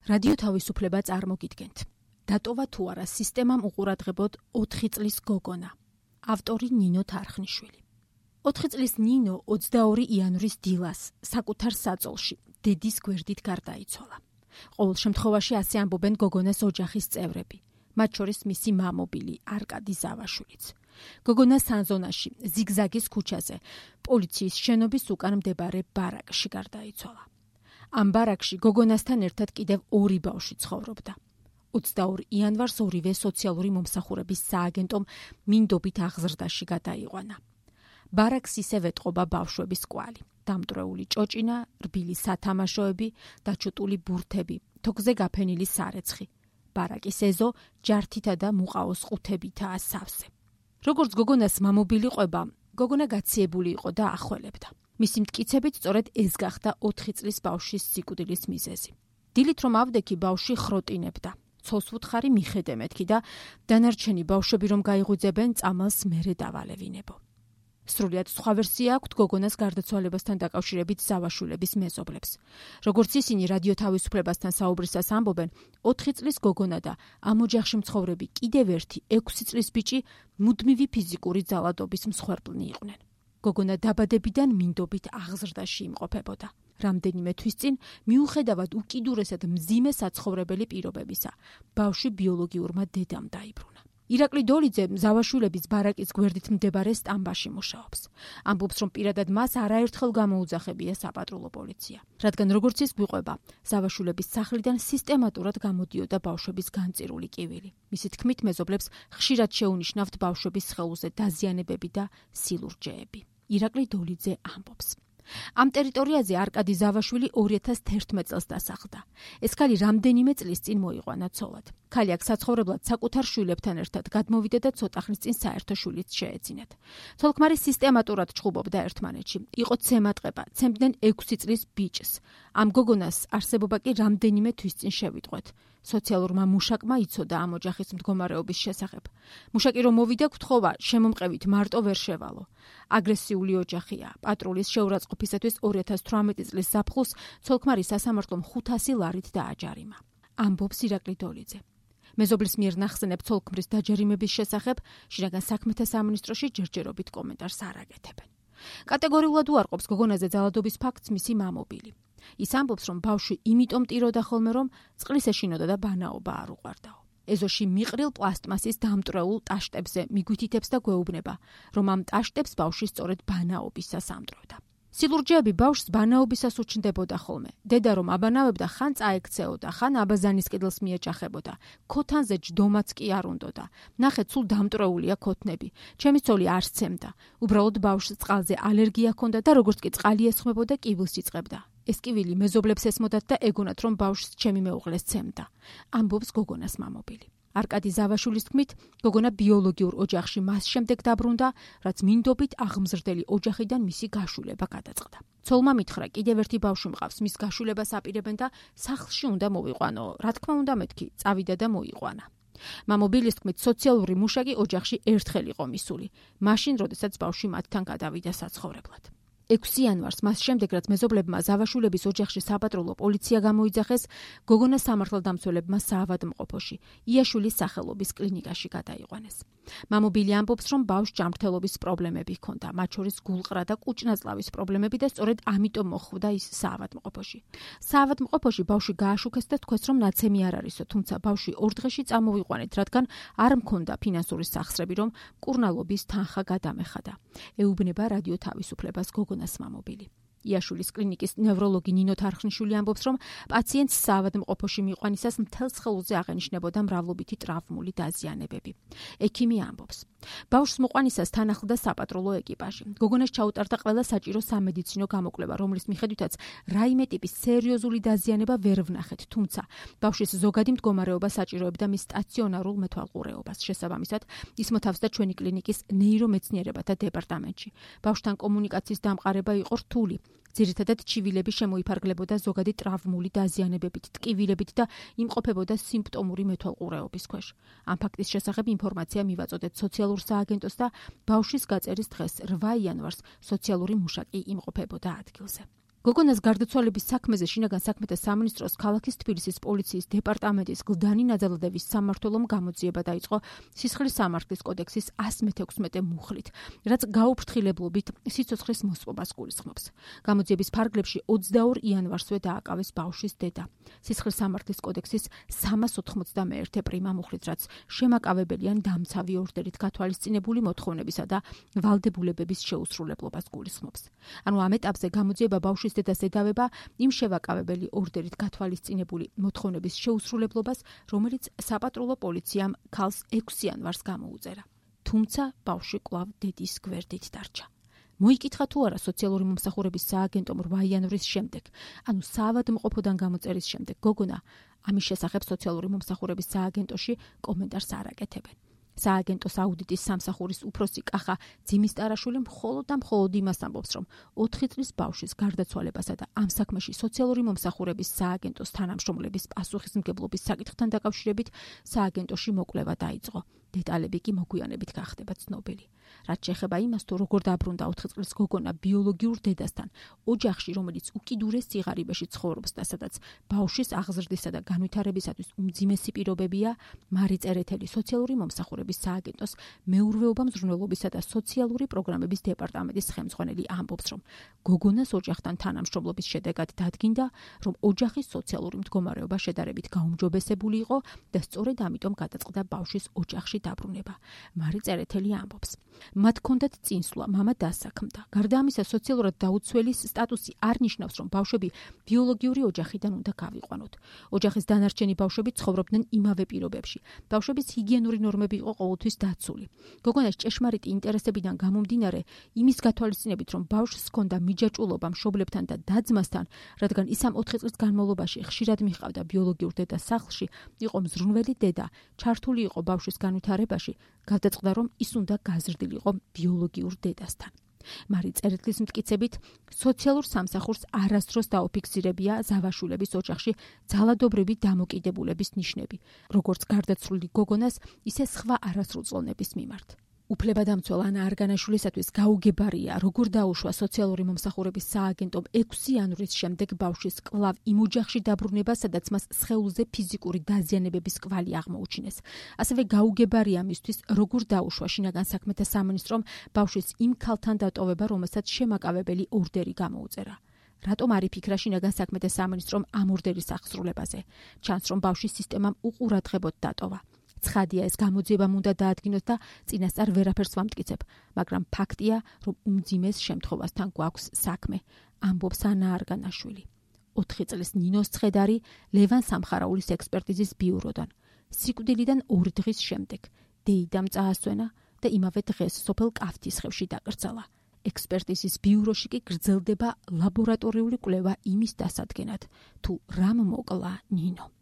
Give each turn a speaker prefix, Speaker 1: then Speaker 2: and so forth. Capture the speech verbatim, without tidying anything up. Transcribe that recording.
Speaker 1: რადიო თავისუფლება წარმოგიდგენთ. დატოვა თუ არა სისტემამ უყურადღებოდ ოთხი წლის გოგონა. ავტორი ნინო თარხნიშვილი. ოთხი წლის ნინო ოცდაორი იანვრის დილას საკუთარ საწოლში დედის გვერდით გარდაიცვალა. ყოველ შემთხვევაში ასე ამბობენ გოგონას ოჯახის წევრები, მათ შორის მისი მამობილი არკადი ზავაშვილიც. გოგონა სანზონაში, ზიგზაგის ქუჩაზე, პოლიციის შენობის უკან მდებარე ბარაკში გარდაიცვალა. ამ ბარაკში გოგონასთან ერთად კიდევ ორი ბავშვი ცხოვრობდა. ოცდაორ იანვარს ორივე სოციალური მომსახურების სააგენტომ მინდობით აღზრდაში გადაიყვანა. ბარაკს ისევ ეტყობა ბავშვების კვალი, დამტვრეული ჭოჭინა, რბილი სათამაშოები, დაჩუტული ბურთები, თოქზე გაფენილი სარეცხი. ბარაკის ეზო ჯართითა და მუყაოს ყუთებითაა სავსე. როგორც გოგონას მამობილი ყვება, გოგონა გაციებული იყო და ახველებდა. მისი მტკიცებით სწორედ ეს გახდა ოთხი წლის ბავშვის სიკვდილის მიზეზი. დილით რომ ავდექი, ბავშვი ხროტინებდა. ცოლს ვუთხარი მიხედე მეთქი და დანარჩენი ბავშვები რომ გაიღვიძებენ, წამალს მერე დავალევინებო. სრულიად სხვა ვერსია აქვთ გოგონას გარდაცვალებასთან დაკავშირებით ზავაშვილების მეზობლებს. როგორც ისინი რადიო თავისუფლებასთან საუბრისას ამბობენ, ოთხი წლის გოგონა და ამ ოჯახში მცხოვრები კიდევ ერთი ექვსი წლის ბიჭი მუდმივი ფიზიკური ძალადობის მსხვერპლნი იყვნენ. გოგონა დაბადებიდან მინდობით აღზრდაში იმყოფებოდა. რამდენიმე თვის წინ, მიუხედავად უკიდურესად მძიმე საცხოვრებელი პირობებისა, ბავშვი ბიოლოგიურმა დედამ დაიბრუნა. ირაკლი დოლიძე ზავაშვილების ბარაკის გვერდით მდებარე სტამბაში მუშაობს. ამბობს, რომ პირადად მას არაერთხელ გამოუძახებია საპატრულო პოლიცია. რადგან როგორც ის გვიყვება, ზავაშვილების სახლიდან სისტემატურად გამოდიოდა ბავშვების განწირული კივილი. მისი თქმით, მეზობლებს ხშირად შეუნიშნავთ ბავშვების სხეულზე დაზიანებები და სილურჯეები. ირაკლი დოლიძე ამბობს. ამ ტერიტორიაზე არკადი ზავაშვილი ორი ათას თერთმეტ წელს დასახლდა. ეს ქალი რამდენიმე წლის წინ მოიყვანა ცოლად. ქალი აქ საცხოვრებლად საკუთარ შვილებთან ერთად გადმოვიდა და ცოტა ხნის წინ საერთო შვილიც შეეძინათ. ცოლ-ქმარი სისტემატურად ჩხუბობდა ერთმანეთში. იყო ცემატყება, ცემდნენ ექვსი წლის ბიჭს. ამ გოგონას არსებობა კი რამდენიმე თვის წინ შევიტყვეთ. სოციალურმა მუშაკმა იცოდა ამ ოჯახის მდგომარეობის შესახებ. მუშაკი რომ მოვიდა, გთხოვა შემომყევით მარტო ვერ შევალო. აგრესიული ოჯახია. პატრულის შეურაცხყოფისათვის ორი ათას თვრამეტი წლის ზაფხულს ცოლ-ქმარი სასამართლომ ხუთასი ლარით დააჯარიმა. ამბობს ირაკლი დოლიძე. მეზობლის მიერ ნახსენებ ცოლ-ქმრის დაჯარიმების შესახებ შინაგან საქმეთა სამინისტროში ჯერჯერობით კომენტარს არ აკეთებენ. კატეგორიულად უარყოფს გოგონაზე ძალადობის ფაქტს მისი მამობილი. ის ამბობს, რომ ბავშვი იმიტომ ტიროდა ხოლმე, რომ წყლის ეშინოდა და ბანაობა არ უყვარდაო. ეზოში მიყრილ პლასტმასის დამტვრეულ ტაშტებზე მიგვითითებს და გვეუბნება, რომ ამ ტაშტებს ბავშვი სწორედ ბანაობისას ამტვრევდა. სილურჯეები ბავშვს ბანაობისას უჩნდებოდა ხოლმე. დედა რომ აბანავებდა, ხან წაექცეოდა, ხან აბაზანის კიდლს მიეჯახებოდა. ქოთანზე ჯდომაც კი არ უნდოდა. ნახეთ, სულ დამტვრეულია ქოთნები. ჩემი ცოლი არ სცემდა. უბრალოდ ბავშვს წყალზე ალერგია ჰქონდა და როგორც კი წყალი ესხმებოდა, კივილს იწყებდა. ეს კივილი მეზობლებს ესმოდათ და ეგონათ, რომ ბავშვს ჩემი მეუღლე სცემდა. ამბობს გოგონას მამობილი. არკადი ზავაშვილის თქმით, გოგონა ბიოლოგიურ ოჯახში მას შემდეგ დაბრუნდა, რაც მინდობით აღმზრდელი ოჯახიდან მისი გაშულება გადაწყდა. ცოლმა მითხრა, კიდევ ერთი ბავშვი მყავს, მის გაშულებას აპირებენ და სახლში უნდა მოვიყვანო. რა თქმა უნდა, მეთქი, წავიდა და მოიყვანა. მამობილის თქმით, სოციალური მუშაკი ოჯახში ერთხელ იყო მისული, მაშინ, როდესაც ბავშვი მათთან გადავიდა საცხოვრებლად. ექვსი იანვარს, მას შემდეგ, რაც მეზობლებმა ზავაშვილების ოჯახში საპატრულო პოლიცია გამოიძახეს, გოგონა სამართალდამცველებმა საავადმყოფოში, იაშვილის სახელობის კლინიკაში გადაიყვანეს. მამობილი ამბობს, რომ ბავშვს ჯანმრთელობის პრობლემები ჰქონდა, მათ შორის გულყრა და კუჭნაწლავის პრობლემები და სწორედ ამიტომ მოხვდა ის საავადმყოფოში. საავადმყოფოში ბავშვი გააშუქეს და თქვეს, რომ ნაცემი არ არისო, თუმცა ბავშვი ორ დღეში წამოვიყვანეთ, რადგან არ მქონდა ფინანსური სახსრები, რომ მკურნალობის თანხა გადამეხადა. ეუბნება რადიო თავისუფლებას გოგონას მამობილი. იაშვილის კლინიკის ნევროლოგი ნინო თარხნიშვილი ამბობს, რომ პაციენტს საავადმყოფოში მიყვანისას მთელ სხეულზე აღენიშნებოდა მრავლობითი ტრავმული დაზიანებები. ექიმი ამბობს, ბავშვს მოყვანისას თან ახლდა საპატრულო ეკიპაჟი. გოგონას ჩაუტარდა ყველა საჭირო სამედიცინო გამოკვლევა, რომლის მიხედვითაც რაიმე ტიპის სერიოზული დაზიანება ვერ ვნახეთ, თუმცა ბავშვის ზოგადი მდგომარეობა საჭიროებდა მის სტაციონარულ მეთვალყურეობას. შესაბამისად, ის მოთავსდა ჩვენი კლინიკის ნეირომეცნიერებათა დეპარტამენტში. ბავშვთან კომუნიკაციის დამყარება იყო რთული. ძირითადად ჩივილები შემოიფარგლებოდა ზოგადი ტრავმული დაზიანებებით, ტკივილებით და იმყოფებოდა სიმპტომური მეთვალყურეობის ქვეშ. ამ ფაქტის შესახებ ინფორმაცია მივაწოდეთ სოციალურ სააგენტოს და ბავშვის გაწერის დღეს რვა იანვარს სოციალური მუშაკი იმყოფებოდა ადგილზე. გოგონას გარდაცვალების საქმეზე შინაგან საქმეთა სამინისტროს ქალაქის თბილისის პოლიციის დეპარტამენტის გლდანი ნაძალადების სამმართველომ გამოძიება დაიწყო სისხლის სამართლის კოდექსის one sixty-six მუხლით, რაც გაუფრთხილებლობით სიცოცხლის მოსპობას გულისხმობს. გამოძიების ფარგლებში ოცდაორ იანვარსვე დააკავეს ბავშვის დედა. სისხლის სამართლის კოდექსის three ninety-one პრიმა მუხლით, რაც შემაკავებელი ან დამცავი ორდერით გათვალისწინებული მოთხოვნებისა და ვალდებულებების შეუსრულებლობას გულისხმობს. ანუ ამ ეტაპზე გამოძიება ბავშვის დედას ედავება იმ შევაკავებელი ორდერით გათვალისწინებული მოთხოვნების შეუსრულებლობას, რომელიც საპატრულო პოლიციამ ქალს ექვსი იანვარს გამოუწერა. თუმცა ბავშვი კვლავ დედის გვერდით დარჩა. მოიკითხა თუ არა სოციალური მომსახურების სააგენტომ რვა იანვრის შემდეგ, ანუ საავადმყოფოდან გამოწერის შემდეგ, გოგონა ამის შესახებ სოციალური მომსახურების სააგენტოში კომენტარს არ აკეთებენ. სააგენტოს აუდიტის სამსახურის უფროსი კახა ძიმისტარაშვილი მხოლოდ და მხოლოდ იმას ამბობს, რომ ოთხი წლის ბავშვის გარდაცვალებასა და ამ საქმეში სოციალური მომსახურების სააგენტოს თანამშრომლების პასუხისმგებლობის საკითხთან დაკავშირებით სააგენტოში მოკვლევა დაიწყო. დეტალები კი მოგვიანებით გახდება ცნობილი. რაც შეეხება იმას, თუ როგორ დაბრუნდა ოთხი წლის გოგონა ბიოლოგიურ დედასთან, ოჯახში, რომელიც უკიდურეს სიღარიბეში ცხოვრობს და სადაც ბავშვის აღზრდისა და განვითარებისათვის უმძიმესი პირობებია, მარი წერეთელი სოციალური მომსახურების სააგენტოს მეურვეობა მზრუნველობისა და სოციალური პროგრამების დეპარტამენტის ხელმძღვანელი ამბობს, რომ გოგონას ოჯახთან თანამშრომლობის შედეგად დადგინდა, რომ ოჯახის სოციალური მდგომარეობა შედარებით გაუმჯობესებული იყო და სწორედ ამიტომ გადაწყდა ბავშვის ოჯახში დაბრუნება. მარი წერეთელი ამბობს. მათ ჰქონდათ წინსვლა, მამა დასაქმდა. გარდა ამისა, სოციალურად დაუცველის სტატუსი არ ნიშნავს, რომ ბავშვები ბიოლოგიური ოჯახიდან უნდა გავიყვანოთ. ოჯახის დანარჩენი ბავშვები ცხოვრობდნენ იმავე პირობებში. ბავშვების ჰიგიენური ნორმები იყო ყოველთვის დაცული. გოგონას ჭეშმარიტი ინტერესებიდან გამომდინარე, იმის გათვალისწინებით, რომ ბავშვს ჰქონდა მიჯაჭვულობა მშობლებთან და და-ძმასთან, რადგან ის ამ ოთხი წლის განმავლობაში ხშირად მიჰყავდა ბიოლოგიურ დედას სახლში, იყო მზრუნველი დედა, ჩართული იყო ბავშვის განვითარებაში, გადაწყდა, რომ ის უნდა გაზრდილიყო ბიოლოგიურ დედასთან. მარი წერეთლის მტკიცებით, სოციალურ სამსახურს არასდროს დაუფიქსირებია ზავაშვილების ოჯახში ძალადობრივი დამოკიდებულების ნიშნები, როგორც გარდაცვლილი გოგონას, ისე სხვა არასრულწლოვნების მიმართ. უფლებადამცველ ანა არგანაშვილისათვის გაუგებარია, როგორ დაუშვა სოციალური მომსახურების სააგენტომ ექვსი იანვრის შემდეგ ბავშვის კვლავ იმ ოჯახში დაბრუნება, სადაც მას სხეულზე ფიზიკური დაზიანებების კვალი აღმოუჩინეს. ასევე გაუგებარია მისთვის, როგორ დაუშვა შინაგან საქმეთა სამინისტრომ ბავშვის იმ ქალთან დატოვება, რომელსაც შემაკავებელი ორდერი გამოუწერა. რატომ არ იფიქრა შინაგან საქმეთა სამინისტრომ ამ ორდერის აღსრულებაზე? ჩანს, რომ ბავშვის სისტემამ უყურადღებოდ დატოვა. ცხადია, ეს გამოძიებამ უნდა დაადგინოს და წინასწარ ვერაფერს ვამტკიცებ, მაგრამ ფაქტია, რომ უმძიმეს შემთხვევასთან გვაქვს საქმე, ამბობს ანა არგანაშვილი. ოთხი წლის ნინოს ცხედარი ლევან სამხარაულის ექსპერტიზის ბიუროდან. სიკვდილიდან ორი დღის შემდეგ დეიდამ წაასვენა და იმავე დღეს სოფელ კაფთისხევში დაკრძალა. ექსპერტიზის ბიუროში კი გრძელდება ლაბორატორიული კვლევა იმის დასადგენად, თუ რამ მოკლა ნინო.